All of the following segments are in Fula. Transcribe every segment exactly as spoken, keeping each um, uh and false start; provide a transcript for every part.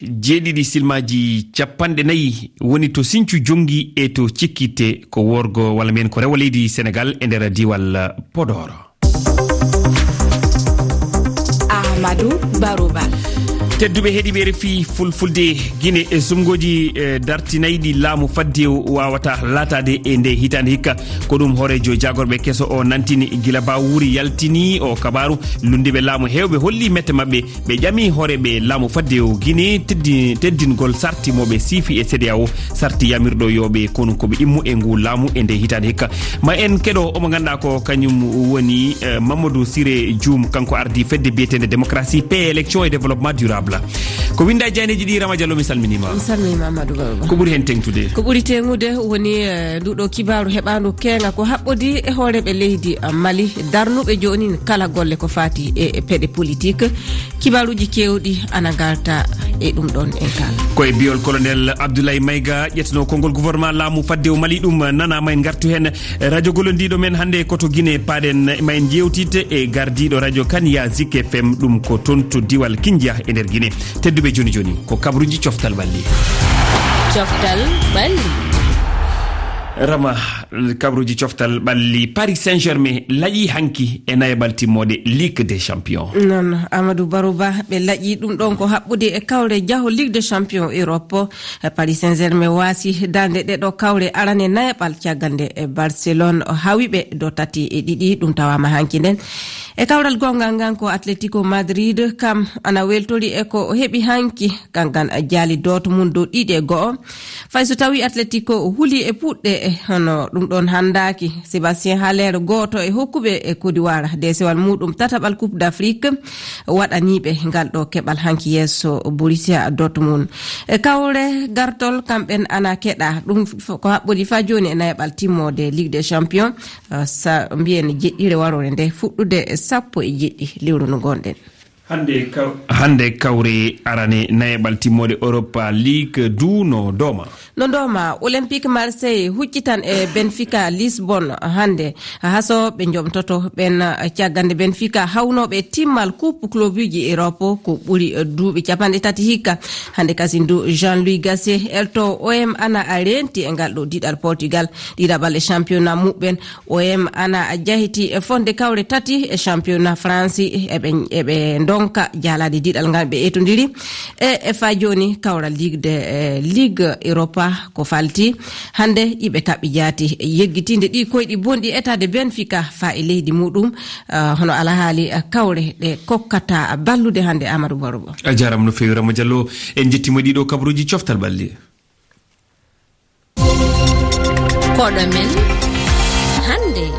Jeeɗiɗi silmaaji capanɗe nayi woni to Sinthiou Jonngi e to Cikkitte, ko worgo walla mbiyen ko rewo leydi Senegaal e nder diiwal Podor. Amadou Barouba. Tedduɓe heɗiiɓe R F I Fulfulde, Gine e sumngooji, e, dartinayɗi laamu faddewu waawata laataade e nde hitaande hikka. Ko ɗum hooreejo jaagorɓe keso o nantini gila ba wuuri yaltini o kabaaru. Lunndiiɓe laamu heewɓe holli mette maɓɓe. Ɓe ƴami hooreeɓe laamu faddewu Gine teddi-, teddingol sarti mo ɓe siifi e C E D E A O, sarti yamirɗo yo ɓe konu ko ɓe immu e ngu laamu e nde hitaande hikka. Ma en keɗo omo ngannduɗaa ko kañum woni, eh, Mamadou Siré Dioum, kanko ardii fedde biyeteende Démocratie, Paix, Élection et Développement Durable. Ko winnda e jaaneeji ɗi, Rama Diallo, mi salminiima. Mi salminiima, Amadou Barouba. Ko ɓuri heen teeŋtude? Ko ɓuri teeŋtude woni, eh, nduɗo kibaaru heɓaandu keeŋa ko haɓɓodii e hooreeɓe leydi, eh, Mali, darnuɓe jooni kala golle ko faati e, e peɗe politik. Kibaaruuji keewɗi ana ngalta e ɗum ɗoon en kaala. Ko e biol Colonel Abdoulaye Maïga, ƴettuno konngol gouvernement laamu faddewu Mali, ɗum nanaama, en ngartu heen. Radio gollondiiɗo men hannde ko to Gine, paaɗen ma en njeewtide e gardiiɗo radio Kania Zik F M, ɗum ko toon to diwal Kindia e nder Gine. Tedduɓe, jooni jooni ko kabaruuji coftal ɓalli. Coftal ɓalli. Rama, kabaruuji coftal ɓalli. Paris Saint-Germain laƴi hanki e nayaɓal timmoode Ligue des Champions. Noon, Amadou Barouba, ɓe laƴi ɗum ɗoon ko haɓɓude e kawre jaho Ligue des Champions Europe. Paris Saint-Germain waasi darnde ɗeɗo kawre arane nayaɓal, caggal nde e Barcelone o hawi ɓe do tati e ɗiɗi, ɗum tawaama hanki nden. E kawral gongal ngal ko Atletico Madrid, kam ana weltori e ko o heɓi hanki, kankan jaali Dortmund dow ɗiɗi e go'o. Fay so tawi Atletico huli e puɗɗe, e hono ɗum ɗoon hanndaaki, Sébastien Haller, gooto e hokkuɓe e Côte d'Ivoire deesewal muuɗum tataɓal Coupe d'Afrique, waɗaniiɓe ngal ɗo keɓal hanki yeeso Borussia Dortmund. E kawre gartol, kamɓen ana keɗa. Ɗum f-, ko haɓɓodi faa jooni e nayaɓal timmoode Ligue des Champions, eh, sa mbiyen jeɗɗire waroore nde, fuɗɗude sappo e jeɗɗi lewru ndu ngonɗen. Hannde kaw-, hannde kawre arane nayaɓal timmoode Europa League du no dooma. No dooma, Olympique Marseille huccitan e Benfica Lisbonne hannde. Haso ɓe jomtoto ɓen, eh, caggal nde Benfica hawnooɓe timmal Coupe Clubuji Europe ko ɓuri, eh, duuɓi capanɗe tati hikka. Hannde kasin du Jean-Louis Gasset elto O M ana a reenti e ngal ɗo diɗal Portugal, ɗiɗaɓal e championnat muɓɓen. O M ana a jahiti e fonde kawre tati e championnat France, eɓe, eɓe ndonka jaalade diɗal ngal ɓe etondiri. E, e faa jooni kawral Ligue de, eh, Ligue Europa ko falti. Hannde iɓe kaɓɓi jaati yeggitinde ɗi koyɗi bonɗi etaade Benfica faa e leydi muɗum. Ah, hono alahaali, ah, kawre ɗe kokkata ballude hannde Amadou Barouba. A jaaraama no feewi, Rama Diallo. En njettiima ɗiɗo kabaruuji coftal ɓalli. Koɗo men hannde.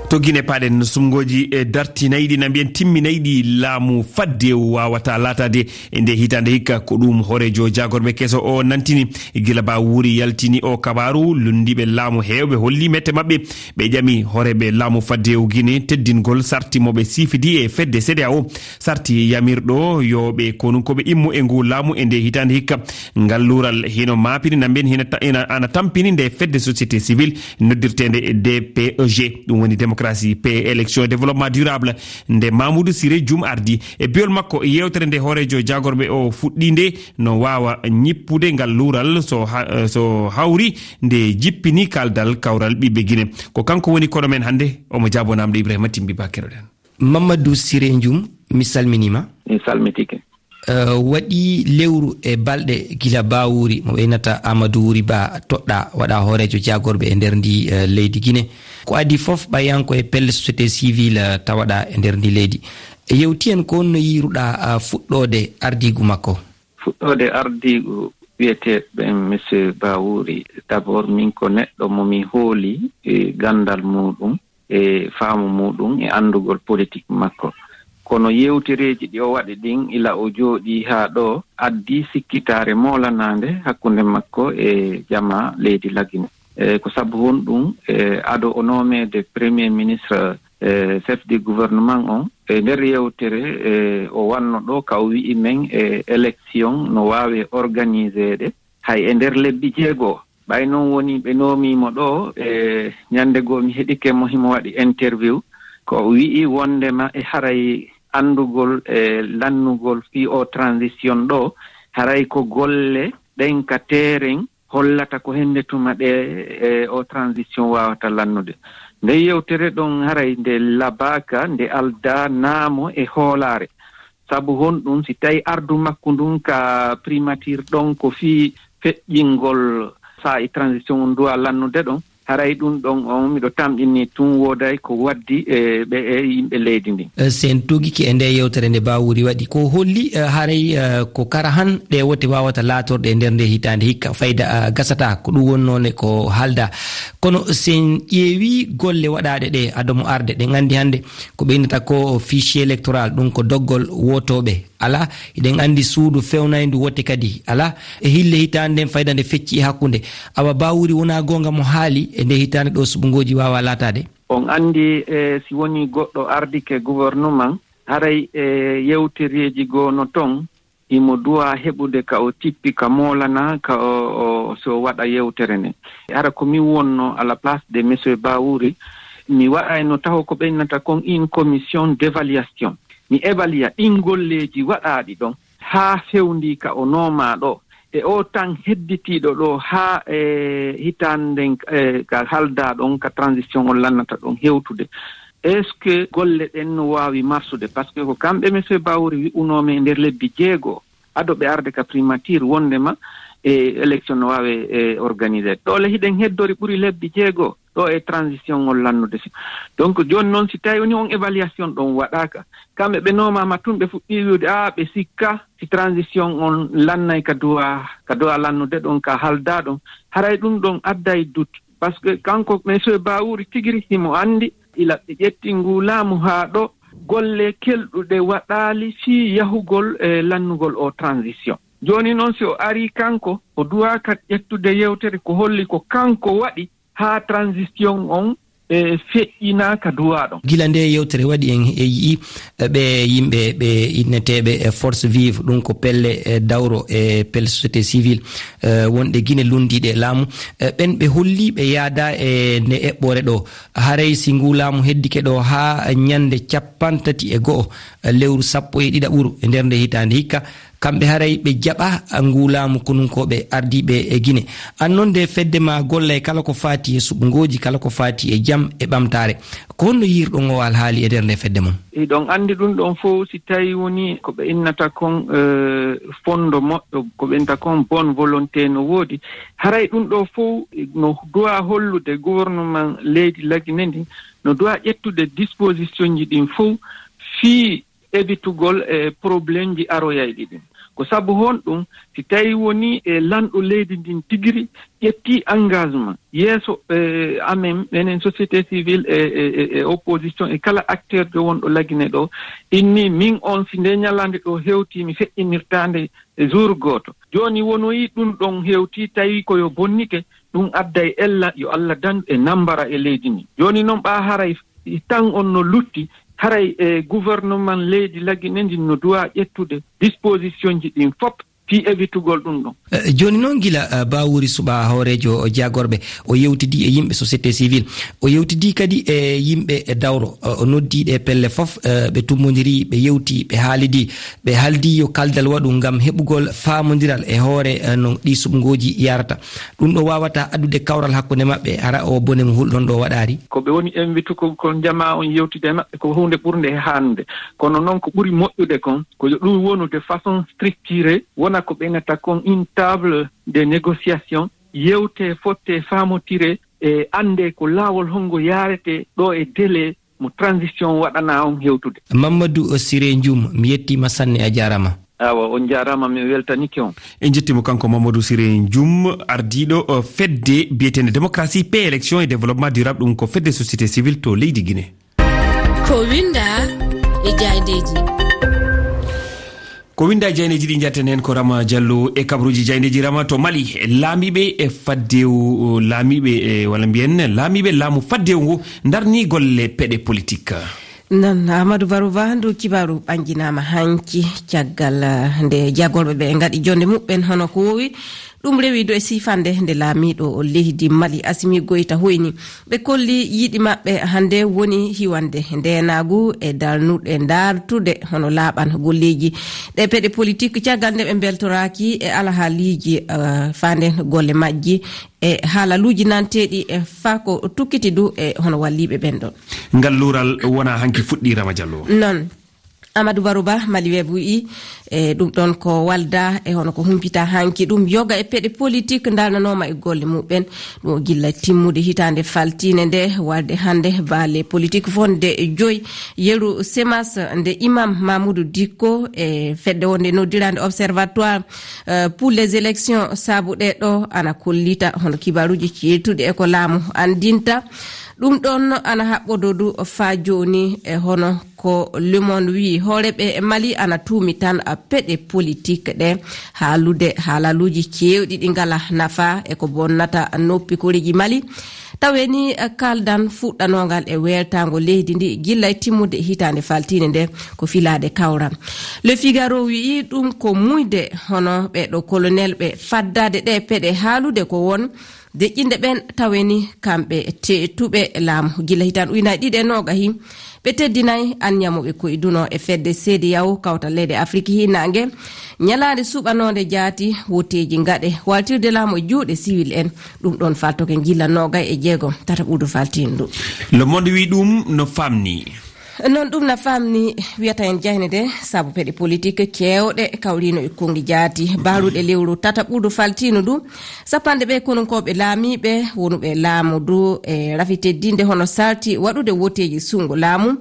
To Gine paaɗen, sumngooji e dartinayɗi na mbiyen timminayɗi laamu faddewu waawata laataade e nde hitaande hikka. Ko ɗum hooreejo jaagorɓe keso o nantini. Gila ba wuuri yaltini o kabaaru, lunndiiɓe laamu heewɓe holli mette maɓɓe. Ɓe ƴami hooreeɓe laamu faddewu Gine teddingol sarti mo ɓe siifidi e fedde C E D E A O. Sarti yamirɗo yo ɓe konu ko ɓe immo e ngu laamu e nde hitaande hikka. Ngal luural hino maapini na mbiyen hina ta-, ina, ana tampini nde fedde société civile noddirteende D P E G. Ɗum woni démocratie, paix, élection, développement durable. Nde Mamoudou Siré Dioum ardi e biol makko, yeewtere nde hooreejo jaagorɓe o fuɗɗi nde no waawa ñippude ngal luural so ha-, so hawri nde jippini kaaldal kawral ɓiɓɓe Gine. Ko kanko woni koɗo men hannde, omo jaaboo namde Ibrahima Timbi Ba, keɗoɗen. Mamadou Siré Dioum, mi salminiima. Mi salmitike. Eh, waɗi lewru e balɗe gila Ba Wuuri, mo ɓeynata Amadou Wuuri Ba, toɗɗa waɗa hooreejo jaagorɓe e nder ndi, eh, leydi Gine. Ko adii fof, ɓayanko e pelle société civile, eh, tawaɗa e nder ndi leydi. Yewti en ko honno yiiruɗa, ah, fuɗɗoode ardiigu makko? Fuɗɗoode ardiigu wiyeteeɓe ɓen, Monsieur Ba Wuuri, d'abord, min ko neɗɗo mo mi hooli e ganndal muuɗum, e faamu muuɗum, e anndugol politik makko. Kono yewtereeji ɗi o waɗi ɗin, ila o jooɗii haa ɗoo, addii sikkitaare moolanaande hakkunde makko e jamaa leydi Lagine. E ko sabu honɗum, e ado o noomeede Premier Ministre, e chef du gouvernement on, e nder yewtere, e o wanno ɗoo ka o wi'i men e élection no waawi organiseede hay e nder lebbi jeego. Ɓay non woni ɓe noomiimo ɗoo, e ñande goo mi heɗike mo himo waɗi interview, ko o wi'i wondema e haray anndugol e lannugol fii o transition ɗoo, Haray ko golle ɗen ka teeren hollata ko hennde tuma ɗe e o transition waawata lannude. Nde yewtere ɗon haray nde labaaka, nde aldaa naamo e hoolaare. Sabu honɗum, si tawi ardu makko ndun ka primature ɗon ko fii feƴƴingol saa e transition on duwa lannude ɗon, haray ɗum ɗon on miɗo tamƴini tun wooday ko waddi e ɓe e yimɓe leydi ndin. Eh, sen tugike e nde yewtere nde Bawuri waɗi, ko holli, eh, haray, eh, ko kara han ɗe wote wawata laatorɗe e nder nde hitaande hikka fayda, eh, gasata ko ɗum wonnoo ne ko halda. Kono sen ƴeewi golle waɗaaɗe ɗe adomo arde, ɗen anndi hannde ko ɓe innata ko fichier électoral, ɗum ko doggol wotooɓe. Alaa, eɗen anndi suudu fewnayndu wote kadi alaa. E hille hitaande nden fayda nde fecci e hakkunde. Awa Bawuri wonaa goonga mo haali e nde hitaande ɗo suɓngooji waawa laataade? On anndi, e, si woni goɗɗo ardike gouvernement, haray e yewtereeji goo no ton, imo duwa heɓude ka o tippi, ka moolana, ka o, o, so waɗa yewtere nden. Hara ko min wonno à la place de monsieur Bawuri, mi waɗayno taho ko ɓe innata kon une commission d'évaluation. Mi évalua ɗin golleeji waɗaaɗi ɗon haa fewndii ka o noomaa ɗo. E o tan hedditiiɗo ɗo haa e hitaande nden, e, ka haldaa ɗon, ka transition on lannata ɗon hewtude. Est-ce que golle ɗen no waawi marsude? Parce que ko kamɓe monsieur Bawuri wi'unoo men e nder lebbi jeego ado ɓe arde ka primature wondema e élection no waawe e organisé. Ɗo le hiɗen heddori ɓuri lebbi jeego ɗo e transition on lannude. Si, donc jooni noon si tawi woni on évaluation ɗon waɗaaka, kamɓe ɓe noomama tun ɓe fuɗɗi wi'ude, a, ɓe sikka si transition on lannay ka duwa, ka duwa lannude ɗon, ka halda ɗon, haray ɗum ɗon adday doute. Parce que kanko monsieur Bawuri tigiri himo anndi ila ɓe ƴetti ngu laamu haa ɗo golle kelɗuɗe waɗaali fii yahugol e lannugol o transition. Jooni noon si o arii kanko, o duwaaka ƴettude yewtere ko holli ko kanko waɗi haa transition on e feƴƴinaa ka duwaa ɗon. Gila nde yewtere waɗi en e yi'i, e, ɓe yimɓe ɓe inneteeɓe e force vive, ɗum ko pelle, e, dawro e pelle société civile, e, wonɗe Gine lunndiiɗe e laamu, e, ɓen ɓe holli ɓe yaada e nde eɓɓore ɗo. Haray si ngu laamu heddike ɗo haa ñannde cappantati e go'o, e, lewru sappo e ɗiɗaɓuru e nder nde hitaande hikka, kamɓe haray ɓe jaɓa ngu laamu konunkooɓe ardiiɓe e Gine. An noon nde fedde ma gollay kala ko faati e suɓngooji, kala ko faati e jam e ɓamtaare. Ko honno yiirɗon o alhaali e nder nde fedde mon? Hiɗon anndi ɗum ɗon fow, si tawi woni ko ɓe innata kon, eh, fondo moƴƴo, ko ɓe innata kon bonne volonté no woodi. Haray ɗum ɗo fow no duwa hollude gouvernement leydi Lagine ndin, no duwa ƴettude disposition ji ɗin fow fii evitugol e problème ji aroyayɗi ɗin. Ko sabu honɗum, si tawi woni e lanɗo leydi ndin tigiri ƴetti engagement yeeso, e, amen, menen société civile e, e, e, e opposition e kala acteur jo wonɗo Lagine ɗo, inni min on si nde ñalande ɗo hewti mi feƴƴinirtande e jour gooto. Jooni wonoyi ɗum ɗon hewti tawi ko yo bonnike, ɗum adday ella yo Allah dandu e nambara e leydi ndi. Jooni noon ɓa haray tan on no lutti, haray e gouvernement leydi Lagine ndin no duwa ƴettude disposition ji ɗin fop fii evitugol ɗum ɗon. Eh, jooni noon gila, eh, Bawuri Suɓa hooreejo jagorɓe, o yewtidi e yimɓe société civile, o yewtidi kadi e yimɓe e dawro, o, o noddi ɗe pelle fof, eh, ɓe tummondiri, ɓe yewti, ɓe haalidi, ɓe haaldi yo kaldal waɗu ngam heɓugol faamondiral e hoore, eh, no ɗi suɓngooji yarata. Ɗum ɗo wawata addude kawral hakkunde maɓɓe, hara o bone mo hulɗon ɗo waɗaari? Ko ɓe woni invité ko, ko jama on yewtide e maɓɓe, ko huunde ɓurnde e haanude. Kono noon ko ɓuri moƴƴude kon, ko yo ɗum wonu de façon structurée, wona ko ɓe innata kon une table de négociation, yewte, fotte, faamotire, e annde ko laawol hongo yaarete ɗo e délai mo transition waɗana on hewtude. Mamadou Siré Ndioum, mi yettiima sanne, a jaaraama. Awa, on jaaraama, mi weltanike on. En njettiima kanko Mamadou Siré Ndioum, ardiiɗo, eh, fedde biyeteende Démocratie, Paix, Élection et Développement Durable, ɗum ko fedde société civile to leydi Guinée. Ko winda e jaayndeeji. Ko winda e jaayndeeji ɗi njatten heen ko Rama Diallo e kabaruuji jaayndeeji. Rama, to Mali, laamiiɓe e faddewu, laamiiɓe e, walla mbiyen, laamiiɓe laamu faddewu ngu ndarni golle peɗe politique. Nan Amadou Barouba, ndu kibaaru ɓannginaama hanki caggal, eh, nde jagorɓe ɓe ngaɗi jonde muɓɓen hono ko wowi. Ɗum rewi do e sifande nde laamiiɗo leydi Mali Asimi Goyta hoyni. Ɓe kolli yiɗi maɓɓe hannde woni hiwande ndeenaagu e darnuɗe daartude hono laaɓan golleeji. Ɗe peɗe politik caggal nde ɓe mbeltoraaki e alhaaliiji, eh, faande golle majji e haalaluuji nanteeɗi e faa ko tukkiti du e hono walliiɓe ɓen ɗon. Ngal luural wona hanki fuɗɗii, Rama Diallo. Non. Amadou Barouba, Mali Web wi'i, e ɗum ɗon ko walda e hono ko humpita hanki ɗum yoga e peɗe politik ndalnanooma e golle muɓɓen. Ɗum o gilla timmude hitaande faltiinde nde, walde hannde baale politik fonde joy, yeru Semas nde Imam Mamoudou Dicko e fedde wonde noddirande Observatoire, eh, pour les élections, sabu ɗe ɗo ana kollita hono kibaaruuji ceertuɗi e ko laamu anndinta. Ɗum ɗon ana haɓɓodo du faa jooni e hono ko Le Monde wi'i, hooreeɓe Mali ana tuumi tan peɗe politik ɗe, haalude haalaluuji keewɗi ɗi ngala nafa e ko bonnata noppi koreeji Mali. Tawe ni, eh, kaldan fuɗɗanongal e weltaango leydi ndi gilla e timmude hitaande faltiinde nde ko filaade kawral. Le Figaro wi'i ɗum ko muyde hono ɓe ɗo colonel ɓe faddaade ɗe peɗe haalude ko won deƴƴinde ɓen tawe ni kamɓe teetuɓe laamu. Gilla hitaande ujunaaji ɗiɗi e noogahi, ɓe teddinay anniya mo ɓe koyduno e fedde C D A O, kawtal leyɗe Afiriki Hiinaange, ñalaande suɓanoonde jaati, woteeji ngaɗe, waltirde laamu e juuɗe siwil en. Ɗum ɗon faltoke gilla noogay e jeego tataɓuudu faltiindu. Le Monde wi ɗum no famni. Non ɗum na famni, wiyata en jayne de, sabu peɗe politik keewɗe kawrino e konngi jaati. Baaruɗe lewru tataɓuudu faltiindu ndu, sappanɗe ɓe konunkooɓe laamiiɓe wonuɓe laamu du e rafi teddinde hono salti waɗude woteeji sunngo laamu.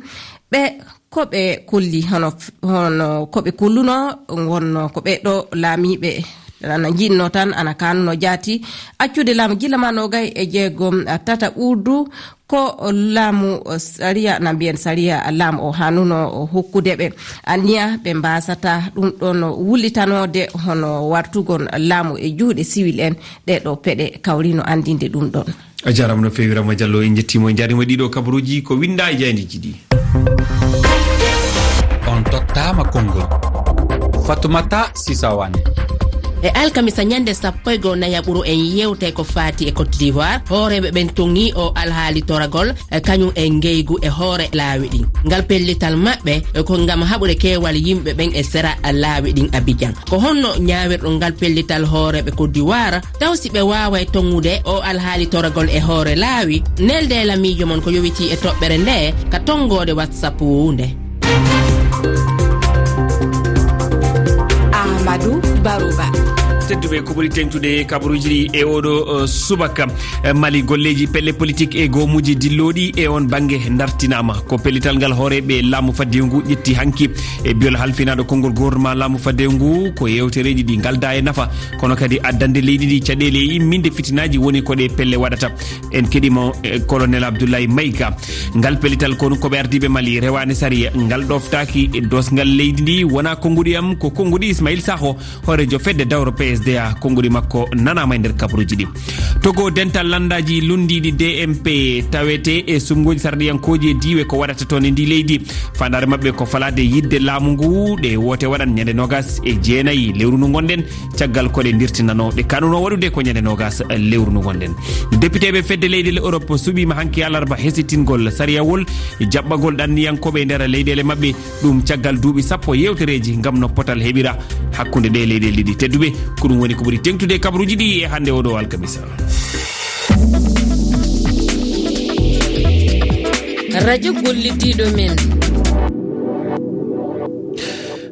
Ɓe ko ɓe kolli hono, hono ko ɓe kolluno, wonno ko ɓe ɗo laamiiɓe ana jiɗno tan, ana kanuno jaati accude laamu gilla ma noogay e jeegom tataɓuudu. Ko laamu sariya, na mbiyen sariya laamu o hanuno hokkude ɓe anniya ɓe mbasata ɗum ɗon wullitanoode hono wartugol laamu e juuɗe siwil en. Ɗe ɗo peɗe kawrino anndinde ɗum ɗon. A jaaraama no feewi, Rama Diallo, en njettiima, en njaariima ɗiɗo kabaruuji ko winnda e jaayndeeji ɗi. On tottaama konngol. Fatoumata Sisa Wane. E alkamisa ñande sappo e goo nayaɓuru en yewtay ko faati e Côte d'Ivoire. Hooreeɓe ɓen toŋi o alhaali toragol, e kañum e ngeygu e hoore laawi ɗin. Ngal pellital maɓɓe, e ko ngam haɓude keewal yimɓe ɓen e sera laawi ɗin Abidjan. Ko honno ñaawirɗon ngal pellital hooreeɓe Côte d'Ivoire? Taw si ɓe waaway toŋude o alhaali toragol e hoore laawi? Nelde e lamiijo mon ko yowitii e toɓɓere nde ka tonngoode WhatsApp nde. Amadou Barouba. Tedduɓe, ko ɓuri teŋtude kabaruuji ɗi e oɗo, eh, subaka. Eh, Mali, golleeji pelle politik e goomuuji dillooɗi e on bannge dartinaama. Ko pellital ngal hooreeɓe laamu faddewu ngu ƴetti hanki e biyol halfinaaɗo konngol gouvernement laamu faddewu ngu, ko yewtereeji ɗi ngalda e nafa, kono kadi addande leydi ndi caɗeele e imminde fitinaaji woni ko ɗe pelle waɗata. En keɗiima, eh, Colonel Abdoulaye Maïga. Ngal pellital konu ko ɓe ardiiɓe Mali rewaani sariya, ngal ɗoftaaki e doosngal leydi ndi, wonaa konnguɗi am, ko konnguɗi Ismaïl Sakho, hooreejo fedde dawro P S D A, konnguɗi makko nanaama e nder kabaruuji ɗi. Togo, dental lanndaaji lunndiiɗi D M P tawete e suɓngooji sarɗiyankooji e diiwe ko waɗata toon e ndi leydi. Faandaare maɓɓe ko falaade yiɗde laamu ngu, ɗe woote waɗan ñande noogas e jeenayi lewru ndu ngonɗen, caggal ko ɗe ndirtinanoo, ɗe kanuno waɗude ko ñande noogas lewru ndu ngonɗen. Depiteeɓe fedde leyɗeele Europe suɓiima hanki alarba hesitingol sariyawol jaɓɓagol ɗanniyankooɓe e nder leyɗeele maɓɓe. Ɗum caggal duuɓi sappo yewtereeji ngam no potal heɓira hakkunde ɗee leyɗeele ɗiɗi. Tedduɓe, ko ɗum woni ko ɓuri teŋtude e kabaruuji ɗi e hannde oɗo alkamisa. Radio gollidiiɗo men.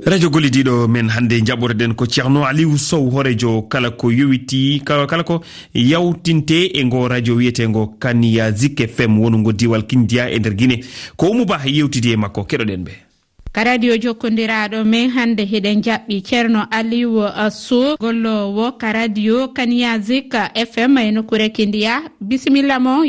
Radio gollidiiɗo men hannde jaɓɓotoɗen ko Ceerno Aliou Sow, hooreejo kala ko yowitii, ka-, kala ko yawtinte e ngo radio wiyeteengo Kaniya Zik F M wonungo diiwal Kindiya e nder Gine. Ko Oumou Ba yewtidi e makko, keɗoɗen ɓe. Ka radio jokkondiraaɗo men hannde, hiɗen jaɓɓi Ceerno Aliou Sow, golloowo ka radio Kaniya Zik F M e nokkuure Kindiya. Bisimilla mo.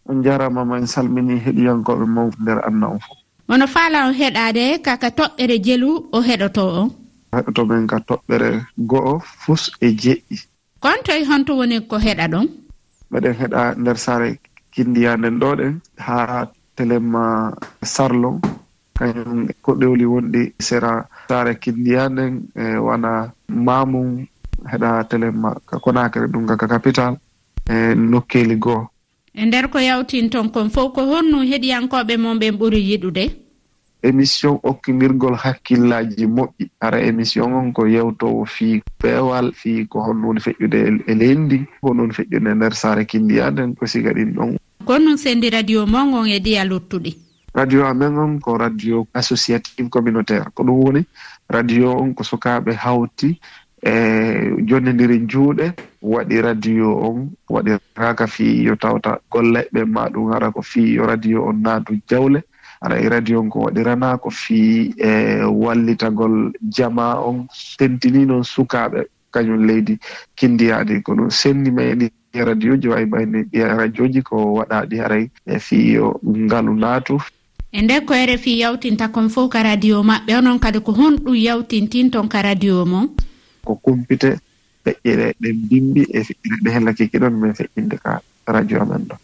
On njaaraama, ma en salmini heɗiyankooɓe mawɓe nder aduna on fof. Ono faala on heɗaade ka, ka toɓɓere jelu o heɗotoo on? Heɗoto men ka toɓɓere go'o fus e jeɗɗi. Kon toy, honto woni ko heɗaɗon? Meɗen heɗa nder saare Kindiya nden ɗo ɗen, haa Telema Sarlon. Kañum ko ɗowli wonɗi sera saare Kindiya nden, e wana Mamum heɗa Telema ka Konakri, ɗum ka, ka capital, e nokkeeli goo. E nder ko yawtin ton kon fof, ko honno heɗiyankooɓe mon ɓen ɓuri yiɗude? Émission okkindirgol hakkillaaji moƴƴi. Hara émission on ko yewtoowo fii peewal, fii ko honno woni feƴƴude e, e leydi ndin, ko honno woni feƴƴude e nder saare Kindiya nden, ko siga ɗin ɗon. Ko honno sendi radio mon on e ɗiya luttuɗi? Radio amen on ko radio associative communautaire. Ko ɗum woni radio on ko sukaaɓe hawti e jonnindiri juuɗe, waɗi radio on, waɗiraaka fii yo tawta golle ɓe, ma ɗum hara ko fii yo radio on naatu jawle. Hara e radio on ko waɗiranaa ko fii e wallitagol jamaa on, tentini noon sukaaɓe kañum leydi Kindiya ndi. Ko ɗum senndi men e ɗi radioji, wayi mayni ɗi radioji ko waɗaaɗi haray e fii yo ngalu naatu. E nde ko R F I yawtinta kon fof ka radio maɓɓe, onon kadi ko honɗum yawtintin ton ka radio mon? Ko kumpite feƴƴere ɗen bimbi e feƴƴere ɗe hella kiki ɗon men feƴƴinde ka radio amen ɗo.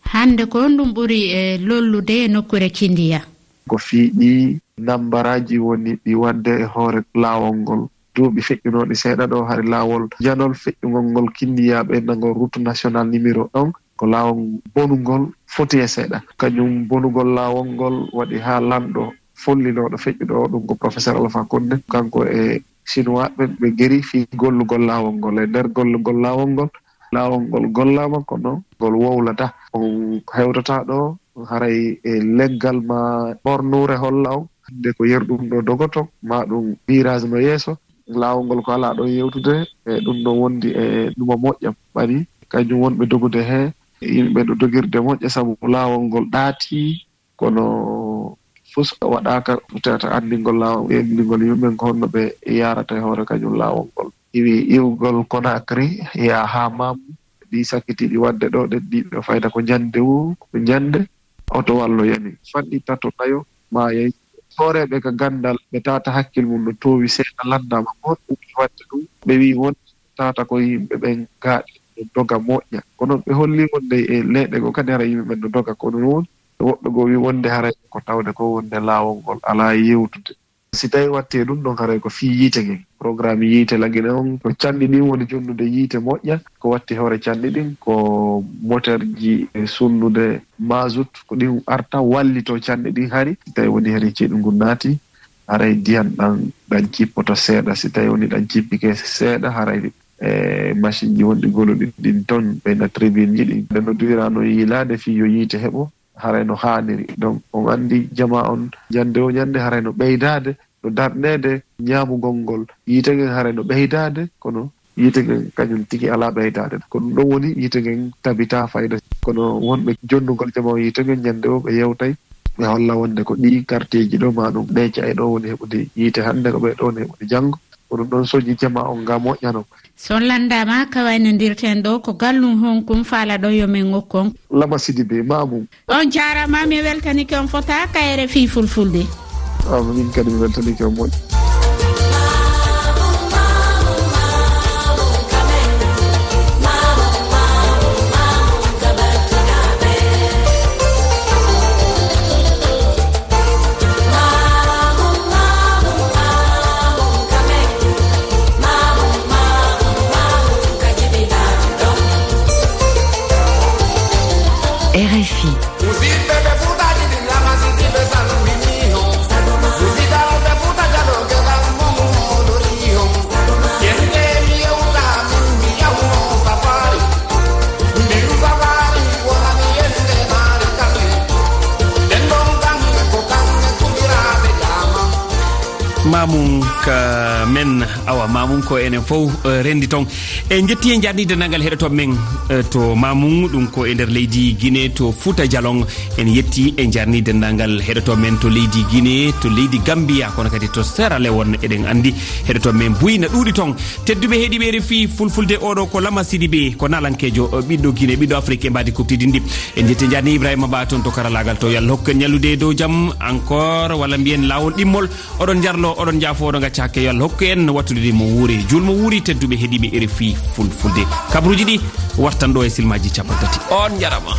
Hannde ko honɗum ɓuri e lollude e nokkuure Kindiya? Ko fii ɗi nambaraaji woni ɗi waɗde e hoore laawol ngol. Duuɓi feƴƴunooɗi seeɗa ɗo, hari laawol janol feƴƴungol ngol Kindiyaaɓe nangol route nationale numéro un, ko laawol bonungol foti e seeɗa. Kañum bonugol laawol ngol waɗi haa lanɗo follinooɗo feƴƴuɗo o, ɗum ko professeur Alpha Condé, kanko e Chinois ɓe, ɓe geri fii gollugol laawol ngol. E nder gollugol laawol ngol, laawol ngol gollaama, kono ngol wowlataa. On hewtataa ɗo, haray e leggal ma ɓornuure holla on, hannde ko yeru ɗum ɗo dogoto, ma ɗum virage no yeeso. Laawol ngol ko alaa ɗon yewtude, e ɗum ɗo wondi e ɗuma moƴƴa ɓari, kañum wonɓe dogude he, yimɓe no dogirde moƴƴa, sabu laawol ngol ɗaati, kono fus waɗaaka, peut-être anndingol laawol, anndingol yimɓe ko honno ɓe yaarata e hoore kañum laawol ngol. Iwi iwgol Conakry, yaa haa Mamou, ɗi sakkitiiɗi waɗde ɗo, ɗen ɗiɗo fayda ko ñande woo, ko ñande, oto wallo yani. Fanɗi tato nayo, maayay. Hooreeɓe ka ganndal, ɓe tawata hakkil mum no toowi seeɗa, lanndaama ko honɗum woni waɗde ɗum. Ɓe wi'i wonde tawata ko yimɓe ɓen gaaɗi no doga moƴƴa. Kono ɓe holli wonde e leyɗe goo kadi hara yimɓe ɓen no doga. Kono noon, woɓɓe goo wi'i wonde haray ko tawde ko wonde laawol ngol alaa yewtude. Si tawii waɗti e ɗum ɗon, haray ko fii yiite ngen. Programme yiite Lagine on, ko canɗi ɗin woni jonnude yiite moƴƴa. Ko waɗti hoore canɗi ɗin, ko moterji e sunnude mazout, ko ɗin arta wallitoo canɗi ɗin hari. Si tawii woni hari ceeɗu ngun naati, haray ndiyan ɗan, ɗan jippoto seeɗa. Si tawii woni ɗan jippike seeɗa, haray, e, machine ji wonɗi goloɗi ɗin ton, ɓeyna tribune ji ɗin. Ɓe no duwirano yiilaade fii yo yiite heɓo, haray no haaniri. Donc, on anndi jamaa on, ñande o ñande haray no ɓeydaade, no darneede ñaamugol ngol. Yiite ngen haray no ɓeydaade, kono yiite ngen kañum tigi alaa ɓeydaade. Ko ɗum ɗon woni yiite ngen tabitaa fayda. Kono wonɓe jonnugol jamaa on yiite ngen ñande o ɓe yewtay, ɓe holla wonde ko ɗii quartier ji ɗo, ma ɗum ɗee ca'e ɗo woni heɓude yiite hannde, ko ɓee ɗo woni heɓude janngo. Ko ɗum ɗon soñi jamaa on nga moƴƴa non. So on lanndaama, ka waynondirten ɗo ko gallum honkum faalaɗon yo men okku on? Lama Sidibé, Mamum. On jaaraama, mi weltanike on fota ka R F I Fulfulde. Ah, min kadi mi weltanike on moƴƴi. R F I. Mamum ka men, awa, Mamum ko enen fof, eh, rendi ton. En jetti e jarnii denndaangal heɗotooɓe men, eh, to Mamum, ɗum ko e nder leydi Guinée, to Fouta Djalon. En yetti e jarnii denndaangal heɗotooɓe men to leydi Guinée, to leydi Gambia, kono kadi to Sierra Leone. Eɗen anndi heɗotooɓe men buy na ɗuuɗi ton. Tedduɓe heɗiiɓe R F I Fulfulde, oɗo ko Lama Sidibé, ko naalankeejo, eh, ɓiɗɗo Guinée, ɓiɗɗo Afrique e mbaadi kuɓtidinndi. En jetti e jarnii Ibrahima Ba toon to karalaagal to. Yo Allah hokku en ñallude e dow jam encore, walla mbiyen laawol ɗimmol. Oɗon njarlo, oɗon njaafo, oɗon ngacca hakke. Yo Allah hokku en wattude mo wuuri. Juulmo wuuri, tedduɓe heɗiiɓe R F I Fulfulde. Kabaruuji ɗi wartan ɗo e silmaaji cappanɗe tati. On njarama.